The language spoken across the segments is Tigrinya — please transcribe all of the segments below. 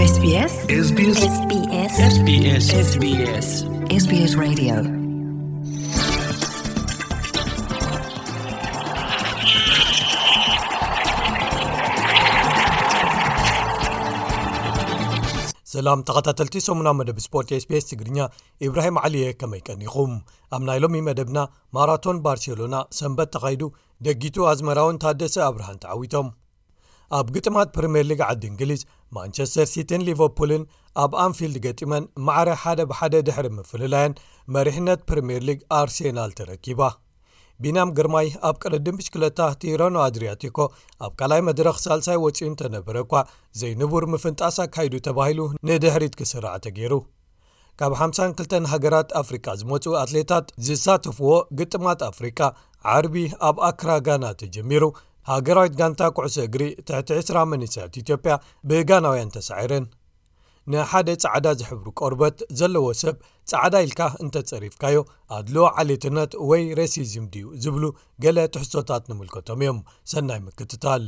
SBS SBS SBS SBS SBS Radio. ሰላም ተኸታተልቲ ሰሙና መደብ ስፖርት SBS ትግርኛ፣ ኢብራሂም ዓሊየ፣ ከመይ ቀኒኹም? ኣብ ናይ ሎሚ መደብና፣ ማራቶን ባርሴሎና ሰንበት ተኻይዱ፣ ደጊቱ ኣዝመራውን ታደሰ ኣብርሃን ተዓዊቶም። ኣብ ግጥማት ፕሪምየር ሊግ ዓዲ እንግሊዝ፣ ማንቸስተር ሲቲን ሊቨርፑልን ኣብ ኣንፊልድ ገጢመን ማዕረ ሓደ ብሓደ ድሕሪ ምፍልላየን፣ መሪሕነት ፕሪምየር ሊግ ኣርሴናል ተረኪባ። ቢንያም ግርማይ ኣብ ቅድድም ብሽክለታ ቲረኖ ኣድሪያቲኮ ኣብ ካልኣይ መድረኽ ሳልሳይ ወጺኡ እንተነበረ እኳ፣ ዘይንቡር ምፍንጣስ ኣካይዱ ተባሂሉ ንድሕሪት ክስራዕ ተገይሩ። ካብ ሓምሳን ክልተን ሃገራት ኣፍሪቃ ዝመጹ ኣትሌታት ዝሳተፍዎ ግጥማት ኣፍሪቃ፣ ዓርቢ ኣብ ኣክራ ጋና ተጀሚሩ። ሃገራዊት ጋንታ ኩዕሶ እግሪ ትሕቲ ዕስራ መንእሰያት ኢትዮጵያ ብጋናውያን ተሳዒረን። ንሓደ ጻዕዳ ዝሕብሩ ቆርበት ዘለዎ ሰብ ጻዕዳ ኢልካ እንተጸሪፍካዮ፣ ኣድልዎ ዓሌትነት ወይ ሬሲዝም ድዩ ዝብሉ ገለ ትሕዝቶታት ንምልከቶም እዮም። ሰናይ ምክትታል።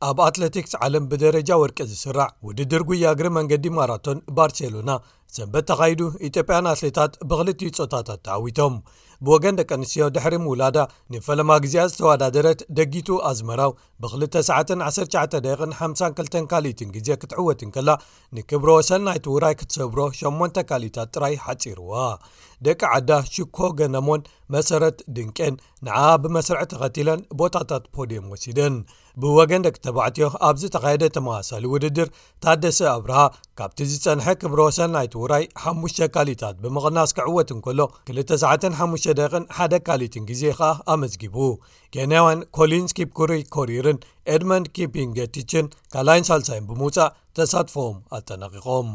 ኣብ ኣትሌቲክስ ዓለም ብደረጃ ወርቂ ዝስራዕ ውድድር ጉያ እግሪ መንገዲ ማራቶን ባርሴሎና ሰንበት ተኻይዱ፣ ኢትዮጵያን ኣትሌታት ብኽልቲኡ ጾታታት ተዓዊቶም። ብወገን ደቂ ኣንስትዮ፣ ድሕሪ ምውላዳ ንፈለማ ግዜኣ ዝተወዳደረት ደጊቱ ኣዝመራው፣ ብክልተ ሰዓትን ዓሰርተ ትሽዓተ ደቂቕን ሓምሳን ክልተን ካልኢትን ግዜ ክትዕወት እንከላ፣ ንክብረ ወሰን ናይቲ ውራይ ክትሰብሮ ሸሞንተ ካልኢታት ጥራይ ሓጺርዋ። ደቂ ዓዳ ሽኮ ገነሞን መሰረት ድንቄን ንዓ ብመስርዕ ተኸቲለን ቦታታት ፖድየም ወሲደን። ብወገን ደቂ ተባዕትዮ ኣብ ዝተኻየደ ተመሳሳሊ ውድድር፣ ታደሰ ኣብርሃ ካብቲ ዝጸንሐ ክብረ ወሰን ናይቲ ውራይ ሓሙሽተ ካልኢታት ብምቕናስ ክዕወት እንከሎ፣ ክልተ ሰዓትን ሓሙሽተ ደቂቕን ሓደ ካልኢትን ግዜ ከኣ ኣመዝጊቡ። ኬንያውያን ኮሊንስ ኪፕኩሪ ኮሪርን ኤድመንድ ኪፒንጌቲችን ካልኣይን ሳልሳይን ብምውጻእ ተሳትፎም ኣጠናቒቖም።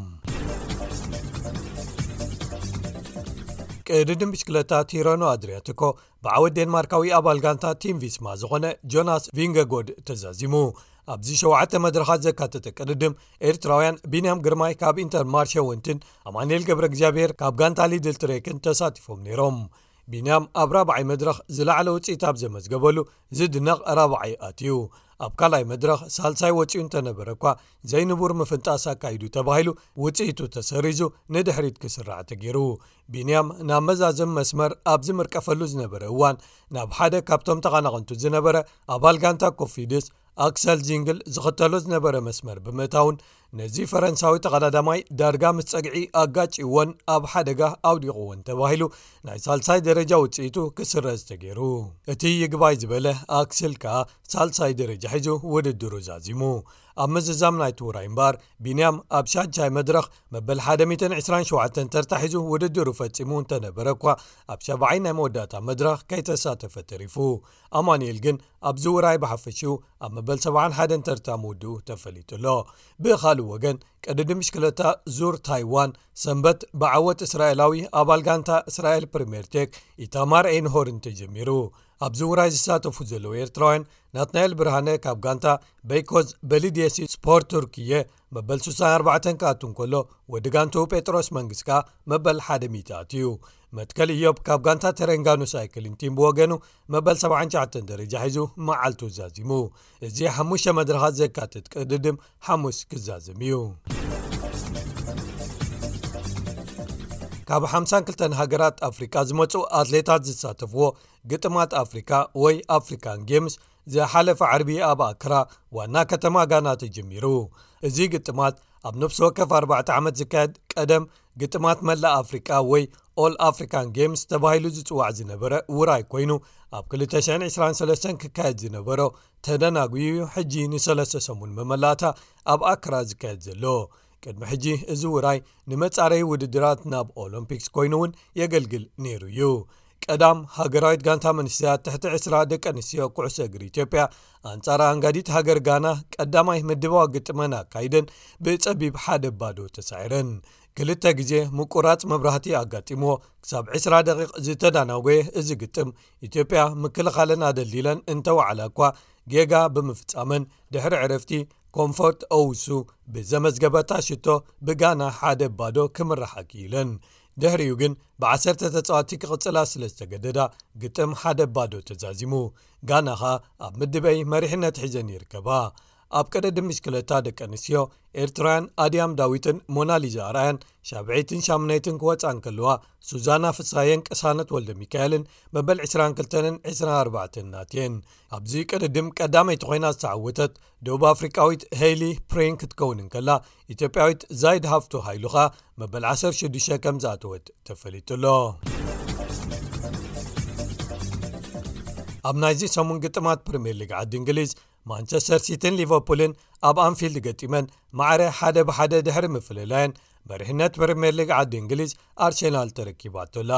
ቅድድም ብሽክለታ ቲረኖ ኣድሪያቲኮ ብዓወት ዴንማርካዊ ኣባል ጋንታ ቲም ቪስማ ዝኾነ ጆናስ ቪንገጎድ ተዛዚሙ። ኣብዚ ሸውዓተ መድረኻት ዘካተተ ቅድድም፣ ኤርትራውያን ቢንያም ግርማይ ካብ ኢንተር ማርሸ ወንትን ኣማኑኤል ገብረ እግዚኣብሔር ካብ ጋንታ ሊድል ትሬክን ተሳቲፎም ነይሮም። ቢንያም ኣብ ራብዓይ መድረኽ ዝለዓለ ውጽኢት ኣብ ዘመዝገበሉ ዝድነቕ ራብዓይ ኣትዩ። ኣብ ካልኣይ መድረኽ ሳልሳይ ወጺኡ እንተነበረ እኳ፣ ዘይንቡር ምፍንጣስ ኣካይዱ ተባሂሉ ውጽኢቱ ተሰሪዙ ንድሕሪት ክስራዕ ተገይሩ። ቢንያም ናብ መዛዘም መስመር ኣብ ዝምርቀፈሉ ዝነበረ እዋን፣ ናብ ሓደ ካብቶም ተቐናቐንቱ ዝነበረ ኣባል ጋንታ ኮፊድስ ኣክሰል ዚንግል ዝኽተሎ ዝነበረ መስመር ብምእታውን፣ ነዚ ፈረንሳዊ ተቐዳዳማይ ዳርጋ ምስ ጸግዒ ኣጋጭዎን ኣብ ሓደጋ ኣውዲቕዎን ተባሂሉ ናይ ሳልሳይ ደረጃ ውጽኢቱ ክስረዝ ተገይሩ። እቲ ይግባይ ዝበለ ኣክስል ከኣ ሳልሳይ ደረጃ ሒዙ ውድድሩ ዛዚሙ። ኣብ ምዝዛም ናይቲ ውራይ እምበኣር፣ ቢንያም ኣብ ሻድሻይ መድረኽ መበል ሓደ ሚእትን ዕስራን ሸውዓተን ተርታ ሒዙ ውድድሩ ፈጺሙ እንተነበረ እኳ፣ ኣብ ሻብዓይ ናይ መወዳእታ መድረኽ ከይተሳተፈ ተሪፉ። ኣማኑኤል ግን ኣብዚ ውራይ ብሓፈሽኡ ኣብ መበል ሰብዓን ሓደን ተርታ ምውድኡ ተፈሊጡ ኣሎ። ብኻልእ ወገን፣ ቅድድም ብሽክለታ ዙር ታይዋን ሰንበት ብዓወት እስራኤላዊ ኣባል ጋንታ እስራኤል ፕሪምየር ቴክ ኢታማር ኤንሆርን ተጀሚሩ። ኣብዚ ውራይ ዝሳተፉ ዘለዉ ኤርትራውያን፣ ናትናኤል ብርሃነ ካብ ጋንታ በይኮዝ በሊድየሲ ስፖርት ቱርክየ መበል ሱሳን ኣርባዕተን ክኣቱ እንከሎ፣ ወዲ ጋንትኡ ጴጥሮስ መንግስ ከኣ መበል ሓደ ሚእቲ ኣትዩ። መትከል ኢዮብ ካብ ጋንታ ተረንጋኑ ሳይክሊን ቲም ብወገኑ መበል ሰብዓን ትሽዓተን ደረጃ ሒዙ መዓልቱ ዛዚሙ። እዚ ሓሙሽተ መድረኻት ዘካትት ቅድድም ሓሙስ ክዛዘም እዩ። ካብ ሓምሳን ክልተን ሃገራት ኣፍሪቃ ዝመጹ ኣትሌታት ዝሳተፍዎ ግጥማት ኣፍሪካ ወይ ኣፍሪካን ጌምስ ዝሓለፈ ዓርቢ ኣብ ኣክራ ዋና ከተማ ጋና ተጀሚሩ። እዚ ግጥማት ኣብ ነፍሲ ወከፍ ኣርባዕተ ዓመት ዝካየድ ቀደም ግጥማት መላእ ኣፍሪቃ ወይ ኦል ኣፍሪካን ጌምስ ተባሂሉ ዝጽዋዕ ዝነበረ ውራይ ኮይኑ፣ ኣብ ክልተ ሽሕን ዕስራን ሰለስተን ክካየድ ዝነበሮ ተደናጉዩ ሕጂ ንሰለስተ ሰሙን መመላእታ ኣብ ኣክራ ዝካየድ ዘሎ። ቅድሚ ሕጂ እዚ ውራይ ንመጻረዪ ውድድራት ናብ ኦሎምፒክስ ኮይኑ እውን የገልግል ነይሩ እዩ። ቀዳም ሃገራዊት ጋንታ መንእሰያት ትሕቲ ዕስራ ደቂ ኣንስትዮ ኩዕሶ እግሪ ኢትዮጵያ ኣንጻር ኣንጋዲት ሃገር ጋና ቀዳማይ ምድባዊ ግጥመን ኣካይደን ብጸቢብ ሓደ ባዶ ተሳዒረን። ክልተ ግዜ ምቁራጽ መብራህቲ ኣጋጢምዎ ክሳብ ዕስራ ደቂቕ ዝተዳናጎየ እዚ ግጥም፣ ኢትዮጵያ ምክልኻለን ኣደልዲለን እንተወዓላ እኳ፣ ጌጋ ብምፍጻመን ድሕሪ ዕረፍቲ ኮምፎርት ኦውሱ ብዘመዝገበታ ሽቶ ብጋና ሓደ ባዶ ክምርሓ ክኢለን። ድሕሪኡ ግን ብዓሰርተ ተጻወትቲ ክቕጽላ ስለ ዝተገደዳ፣ ግጥም ሓደ ባዶ ተዛዚሙ። ጋና ኸኣ ኣብ ምድበይ መሪሕነት ሒዘን ይርከባ። ኣብ ቀደድም ብሽክለታ ደቂ ኣንስትዮ ኤርትራውያን ኣድያም ዳዊትን ሞናሊዛ ኣርኣያን ሻብዐይትን ሻምናይትን ክወጻ እንከለዋ፣ ሱዛና ፍሳየን ቅሳነት ወልደ ሚካኤልን መበል ዕስራን ክልተን ዕስራን ኣርባዕተን ናትየን። ኣብዚ ቅድድም ቀዳመይቲ ኮይና ዝተዓወተት ደቡብ ኣፍሪቃዊት ሄይሊ ፕሪን ክትከውን እንከላ፣ ኢትዮጵያዊት ዛይድ ሃፍቱ ሃይሉ ኸኣ መበል ዓሰርተ ሽዱሽተ ከም ዝኣተወት ተፈሊጡ ኣሎ። ኣብ ናይዚ ሰሙን ግጥማት ፕሪምየር ሊግ ዓዲ እንግሊዝ፣ ማንቸስተር ሲቲን ሊቨርፑልን ኣብ ኣንፊልድ ገጢመን ማዕረ ሓደ ብሓደ ድሕሪ ምፍልላየን፣ መሪሕነት ፕሪምየር ሊግ ዓዲ እንግሊዝ ኣርሴናል ተረኪባቶ ኣላ።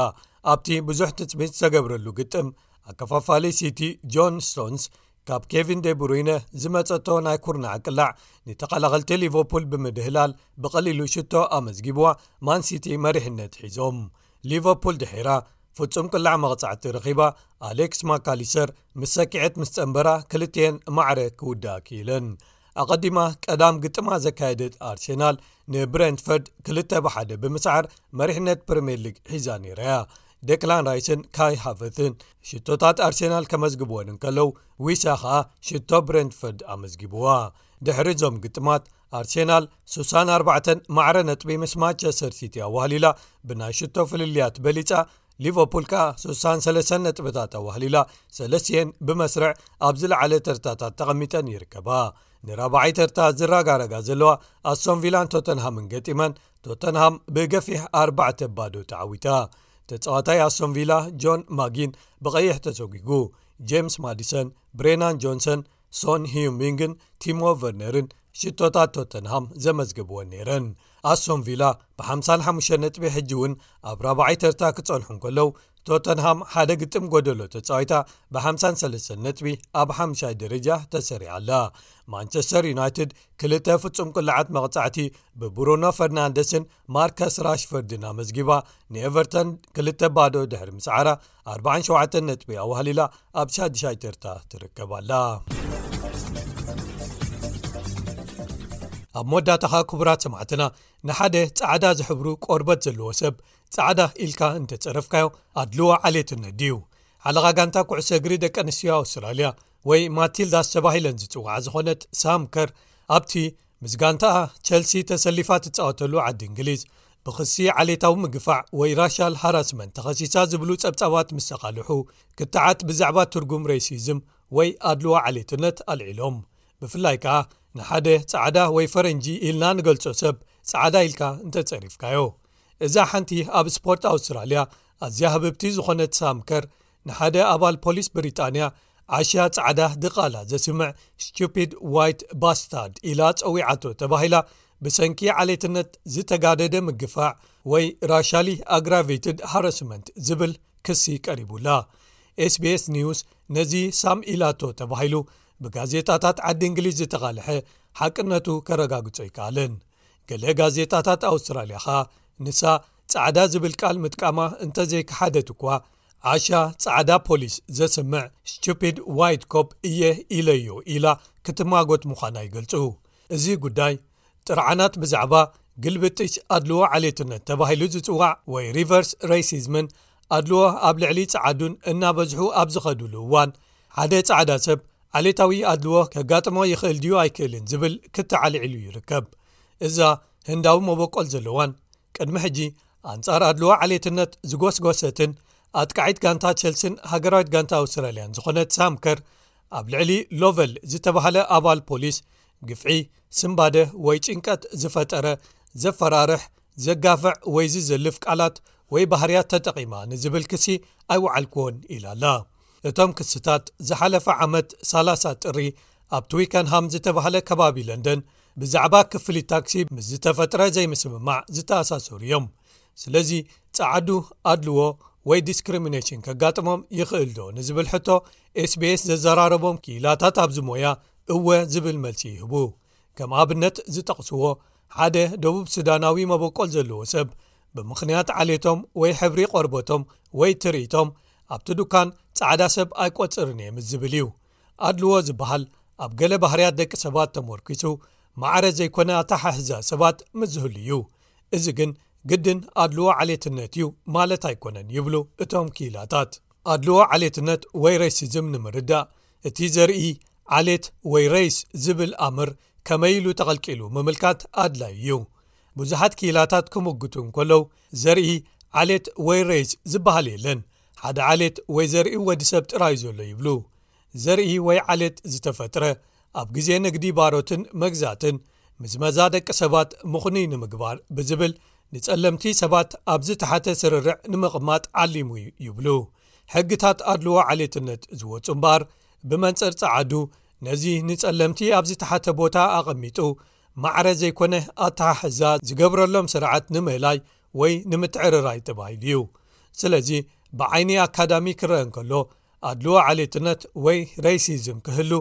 ኣብቲ ብዙሕ ትጽቢት ዝተገብረሉ ግጥም፣ ኣከፋፋሊ ሲቲ ጆን ስቶንስ ካብ ኬቪን ዴብሩይነ ዝመጸቶ ናይ ኩርናዕ ቅላዕ ንተኸላኸልቲ ሊቨርፑል ብምድህላል ብቐሊሉ ሽቶ ኣመዝጊብዋ፣ ማን ሲቲ መሪሕነት ሒዞም። ሊቨርፑል ድሒራ ፍጹም ቅላዕ መቕጻዕቲ ረኺባ፣ ኣሌክስ ማካሊስተር ምስ ሰኪዐት ምስ ጸንበራ ክልቲኤን ማዕረ ክውድኣ ክኢለን። ኣቐዲማ ቀዳም ግጥማ ዘካየደት ኣርሴናል ንብሬንትፈርድ ክልተ ብሓደ ብምስዓር መሪሕነት ፕሪምየር ሊግ ሒዛ ነይራ እያ። ዴክላን ራይስን ካይ ሃቨርትን ሽቶታት ኣርሴናል ከመዝግብወን እንከለዉ፣ ዊሳ ኸኣ ሽቶ ብሬንትፈርድ ኣመዝጊብዋ። ድሕሪ እዞም ግጥማት ኣርሴናል ስሳን ኣርባዕተን ማዕረ ነጥቢ ምስ ማንቸስተር ሲቲ ኣዋህሊላ ብናይ ሽቶ ፍልልያት በሊጻ፣ ሊቨርፑል ከኣ ስሳን ሰለስተን ነጥብታት ኣዋህሊላ ሰለስቲኤን ብመስርዕ ኣብ ዝለዓለ ተርታታት ተቐሚጠን ይርከባ። ንራብዓይ ተርታ ዝረጋረጋ ዘለዋ ኣስቶን ቪላን ቶተንሃምን ገጢመን፣ ቶተንሃም ብገፊሕ ኣርባዕተ ባዶ ተዓዊታ። ተጻዋታይ ኣስቶን ቪላ ጆን ማጊን ብቐይሕ ተሰጒጉ። ጄምስ ማዲሰን፣ ብሬናን ጆንሰን፣ ሶን ሂዩሚንግን ቲሞ ቨርነርን ሽቶታት ቶተንሃም ዘመዝገብወን ነይረን። ኣስቶን ቪላ ብ ሓምሳን ሓሙሽተን ነጥቢ ሕጂ እውን ኣብ ራብዓይ ተርታ ክጸንሑ እንከለዉ፣ ቶተንሃም ሓደ ግጥም ጎደሎ ተጻዊታ ብ ሓምሳን ሰለስተን ነጥቢ ኣብ ሓምሻይ ደረጃ ተሰሪዓ ኣላ። ማንቸስተር ዩናይትድ ክልተ ፍጹም ቅልዓት መቕጻዕቲ ብብሩኖ ፈርናንደስን ማርከስ ራሽፈርድን ኣመዝጊባ፣ ንኤቨርተን ክልተ ባዶ ድሕሪ ምስዓራ ኣርባዓን ሸውዓተን ነጥቢ ኣዋህሊላ ኣብ ሻድሻይ ተርታ ትርከብ ኣላ። ኣብ መወዳእታኻ ክቡራት ሰማዕትና፣ ንሓደ ጻዕዳ ዝሕብሩ ቆርበት ዘለዎ ሰብ ጻዕዳ ኢልካ እንተጸረፍካዮ ኣድልዎ ዓሌትነት ድዩ? ሓለቓ ጋንታ ኩዕሶ እግሪ ደቂ ኣንስትዮ ኣውስትራልያ ወይ ማቲልዳስ ተባሂለን ዝጽውዓ ዝኾነት ሳም ከር፣ ኣብቲ ምስ ጋንታኣ ቸልሲ ተሰሊፋ ትጻወተሉ ዓዲ እንግሊዝ ብኽሲ ዓሌታዊ ምግፋዕ ወይ ራሻል ሃራስመንት ተኸሲሳ ዝብሉ ጸብጻባት ምስ ተቓልሑ፣ ክትዓት ብዛዕባ ትርጉም ሬሲዝም ወይ ኣድልዎ ዓሌትነት ኣልዒሎም። ብፍላይ ከኣ ንሓደ ጻዕዳ ወይ ፈረንጂ ኢልና ንገልጾ ሰብ ጻዕዳ ኢልካ እንተጸሪፍካዮ። እዛ ሓንቲ ኣብ ስፖርት ኣውስትራልያ ኣዝያ ህብብቲ ዝኾነት ሳም ከር፣ ንሓደ ኣባል ፖሊስ ብሪጣንያ ዓሻ ጻዕዳ ድቓላ ዘስምዕ ስቱፒድ ዋይት ባስታርድ ኢላ ጸዊዓቶ ተባሂላ፣ ብሰንኪ ዓሌትነት ዝተጋደደ ምግፋዕ ወይ ራሻሊ ኣግራቬትድ ሃረስመንት ዝብል ክሲ ቀሪቡላ። ኤስቢኤስ ኒውስ ነዚ ሳም ኢላቶ ተባሂሉ ብጋዜጣታት ዓዲ እንግሊዝ ዝተቓልሐ ሓቅነቱ ከረጋግጾ ኣይከኣለን። ገለ ጋዜጣታት ኣውስትራልያ ኸኣ ንሳ ጻዕዳ ዝብል ቃል ምጥቃማ እንተዘይከሓደት እኳ፣ ዓሻ ጻዕዳ ፖሊስ ዘስምዕ ስቱፒድ ዋይት ኮፕ እየ ኢለዮ ኢላ ክትማጎት ምዃና ይገልጹ። እዚ ጉዳይ ጥርዓናት ብዛዕባ ግልብጥሽ ኣድልዎ ዓሌትነት ተባሂሉ ዝጽዋዕ ወይ ሪቨርስ ሬሲዝምን ኣድልዎ ኣብ ልዕሊ ጸዓዱን እናበዝሑ ኣብ ዝኸዱሉ እዋን፣ ሓደ ጻዕዳ ሰብ ዓሌታዊ ኣድልዎ ከጋጥሞ ይኽእል ድዩ ኣይክእልን ዝብል ክተዓልዒሉ ይርከብ። እዛ ህንዳዊ መበቆል ዘለዋን ቅድሚ ሕጂ ኣንጻር ኣድልዎ ዓሌትነት ዝጎስጎሰትን ኣጥቃዒት ጋንታ ቸልሲን ሃገራዊት ጋንታ ኣውስትራልያን ዝኾነት ሳም ከር፣ ኣብ ልዕሊ ሎቨል ዝተባህለ ኣባል ፖሊስ ግፍዒ፣ ስምባደ ወይ ጭንቀት ዝፈጠረ፣ ዘፈራርሕ፣ ዘጋፍዕ ወይ ዝዘልፍ ቃላት ወይ ባህርያት ተጠቒማ ንዝብል ክሲ ኣይወዓልኩዎን ኢላ ኣላ። እቶም ክስታት ዝሓለፈ ዓመት ሰላሳ ጥሪ ኣብ ትዊከንሃም ዝተባህለ ከባቢ ለንደን ብዛዕባ ክፍሊት ታክሲ ምስ ዝተፈጥረ ዘይምስምማዕ ዝተኣሳሰሩ እዮም። ስለዚ ጸዓዱ ኣድልዎ ወይ ዲስክሪሚኔሽን ከጋጥሞም ይኽእል ዶ ንዝብል ሕቶ፣ ኤስቢኤስ ዘዘራረቦም ክኢላታት ኣብዚ ሞያ እወ ዝብል መልሲ ይህቡ። ከም ኣብነት ዝጠቕስዎ፣ ሓደ ደቡብ ሱዳናዊ መበቆል ዘለዎ ሰብ ብምኽንያት ዓሌቶም ወይ ሕብሪ ቆርበቶም ወይ ትርኢቶም ኣብቲ ዱካን ጻዕዳ ሰብ ኣይቆጽርን እየ ምስ ዝብል እዩ። ኣድልዎ ዝበሃል ኣብ ገለ ባህርያት ደቂ ሰባት ተመርኲሱ ማዕረ ዘይኮነ ኣተሓሕዛ ሰባት ምስ ዝህሉ እዩ። እዚ ግን ግድን ኣድልዎ ዓሌትነት እዩ ማለት ኣይኮነን ይብሉ እቶም ክኢላታት። ኣድልዎ ዓሌትነት ወይ ሬሲዝም ንምርዳእ፣ እቲ ዘርኢ ዓሌት ወይ ሬስ ዝብል ኣምር ከመይ ኢሉ ተቐልቂሉ ምምልካት ኣድላዩ እዩ። ብዙሓት ክኢላታት ክምጉቱ እንከለዉ፣ ዘርኢ ዓሌት ወይ ሬስ ዝበሃል የለን፣ ሓደ ዓሌት ወይ ዘርኢ ወዲ ሰብ ጥራይ ዘሎ ይብሉ። ዘርኢ ወይ ዓሌት ዝተፈጥረ፣ ኣብ ግዜ ንግዲ ባሮትን መግዛእትን ምዝመዛ ደቂ ሰባት ምኹኑይ ንምግባር ብዝብል፣ ንጸለምቲ ሰባት ኣብ ዝተሓተ ስርርዕ ንምቕማጥ ዓሊሙ እዩ ይብሉ። ሕግታት ኣድልዎ ዓሌትነት ዝወጹ እምበኣር፣ ብመንጽር ጸዓዱ ነዚ ንጸለምቲ ኣብ ዝተሓተ ቦታ ኣቐሚጡ፣ ማዕረ ዘይኮነ ኣተሓሕዛ ዝገብረሎም ስርዓት ንምህላይ ወይ ንምትዕርራይ ተባሂሉ እዩ። ስለዚ፣ ብዓይኒ ኣካዳሚ ክረአ እንከሎ፣ ኣድልዎ ዓሌትነት ወይ ሬሲዝም ክህሉ፣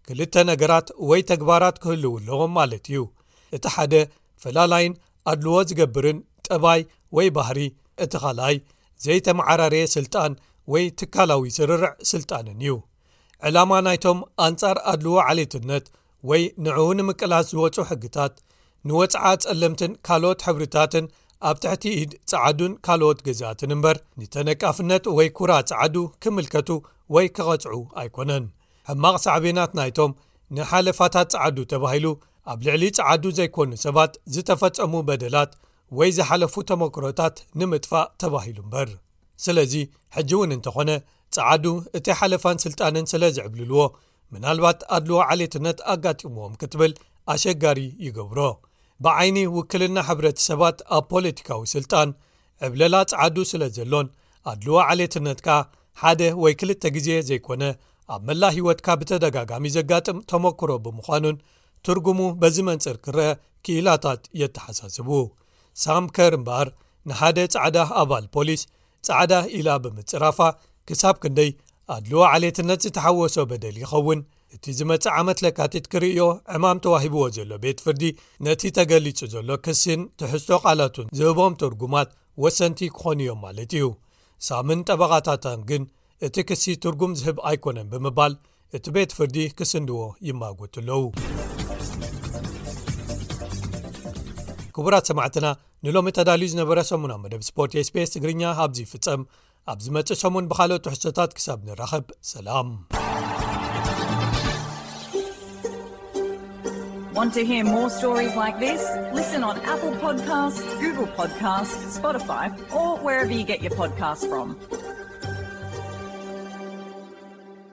ክልተ ነገራት ወይ ተግባራት ክህልዉ ኣለዎም ማለት እዩ። እቲ ሓደ፣ ፈላላይን ኣድልዎ ዝገብርን ጠባይ ወይ ባህሪ፣ እቲ ካልኣይ፣ ዘይተመዓራረየ ስልጣን ወይ ትካላዊ ስርርዕ ስልጣንን እዩ። ዕላማ ናይቶም ኣንጻር ኣድልዎ ዓሌትነት ወይ ንዕኡ ንምቅላስ ዝወጹ ሕግታት፣ ንወጽዓ ጸለምትን ካልኦት ሕብርታትን ኣብ ትሕቲ ኢድ ጸዓዱን ካልኦት ገዛእትን እምበር፣ ንተነቃፍነት ወይ ኩራ ጸዓዱ ክምልከቱ ወይ ክቐጽዑ ኣይኮነን። ሕማቕ ሳዕቤናት ናይቶም ንሓለፋታት ጸዓዱ ተባሂሉ ኣብ ልዕሊ ጸዓዱ ዘይኮኑ ሰባት ዝተፈጸሙ በደላት ወይ ዝሓለፉ ተመክሮታት ንምጥፋእ ተባሂሉ እምበር። ስለዚ፣ ሕጂ እውን እንተኾነ፣ ጸዓዱ እቲ ሓለፋን ስልጣንን ስለ ዝዕብልልዎ፣ ምናልባት ኣድልዎ ዓሌትነት ኣጋጢምዎም ክትብል ኣሸጋሪ ይገብሮ። ብዓይኒ ውክልና ሕብረተሰባት ኣብ ፖለቲካዊ ስልጣን፣ ዕብለላ ጸዓዱ ስለ ዘሎን፣ ኣድልዎ ዓሌትነት ከኣ ሓደ ወይ ክልተ ግዜ ዘይኮነ፣ ኣብ መላእ ህይወትካ ብተደጋጋሚ ዘጋጥም ተመክሮ ብምዃኑን፣ ትርጉሙ በዚ መንጽር ክረአ ክኢላታት የተሓሳስቡ። ሳም ከር እምበኣር፣ ንሓደ ጻዕዳ ኣባል ፖሊስ ጻዕዳ ኢላ ብምጽራፋ፣ ክሳብ ክንደይ ኣድልዎ ዓሌትነት ዝተሓወሶ በደል ይኸውን? እቲ ዝመጽእ ዓመት ለካቲት ክርእዮ ዕማም ተዋሂብዎ ዘሎ ቤት ፍርዲ፣ ነቲ ተገሊጹ ዘሎ ክሲን ትሕዝቶ ቃላቱን ዝህቦም ትርጉማት ወሰንቲ ክኾኑ እዮም ማለት እዩ። ሳምን ጠበቓታታን ግን፣ እቲ ክሲ ትርጉም ዝህብ ኣይኮነን ብምባል፣ እቲ ቤት ፍርዲ ክስንድዎ ይማጎቱ ኣለዉ። ክቡራት ሰማዕትና፣ ንሎሚ ተዳልዩ ዝነበረ ሰሙናዊ መደብ ስፖርት ኤስቢኤስ ትግርኛ ኣብዚ ይፍጸም። ኣብ ዝመጽእ ሰሙን ብኻልኦት ትሕዝቶታት ክሳብ ንራኸብ፣ ሰላም። Want to hear more stories like this? Listen on Apple Podcasts, Google Podcasts, Spotify, or wherever you get your podcasts from.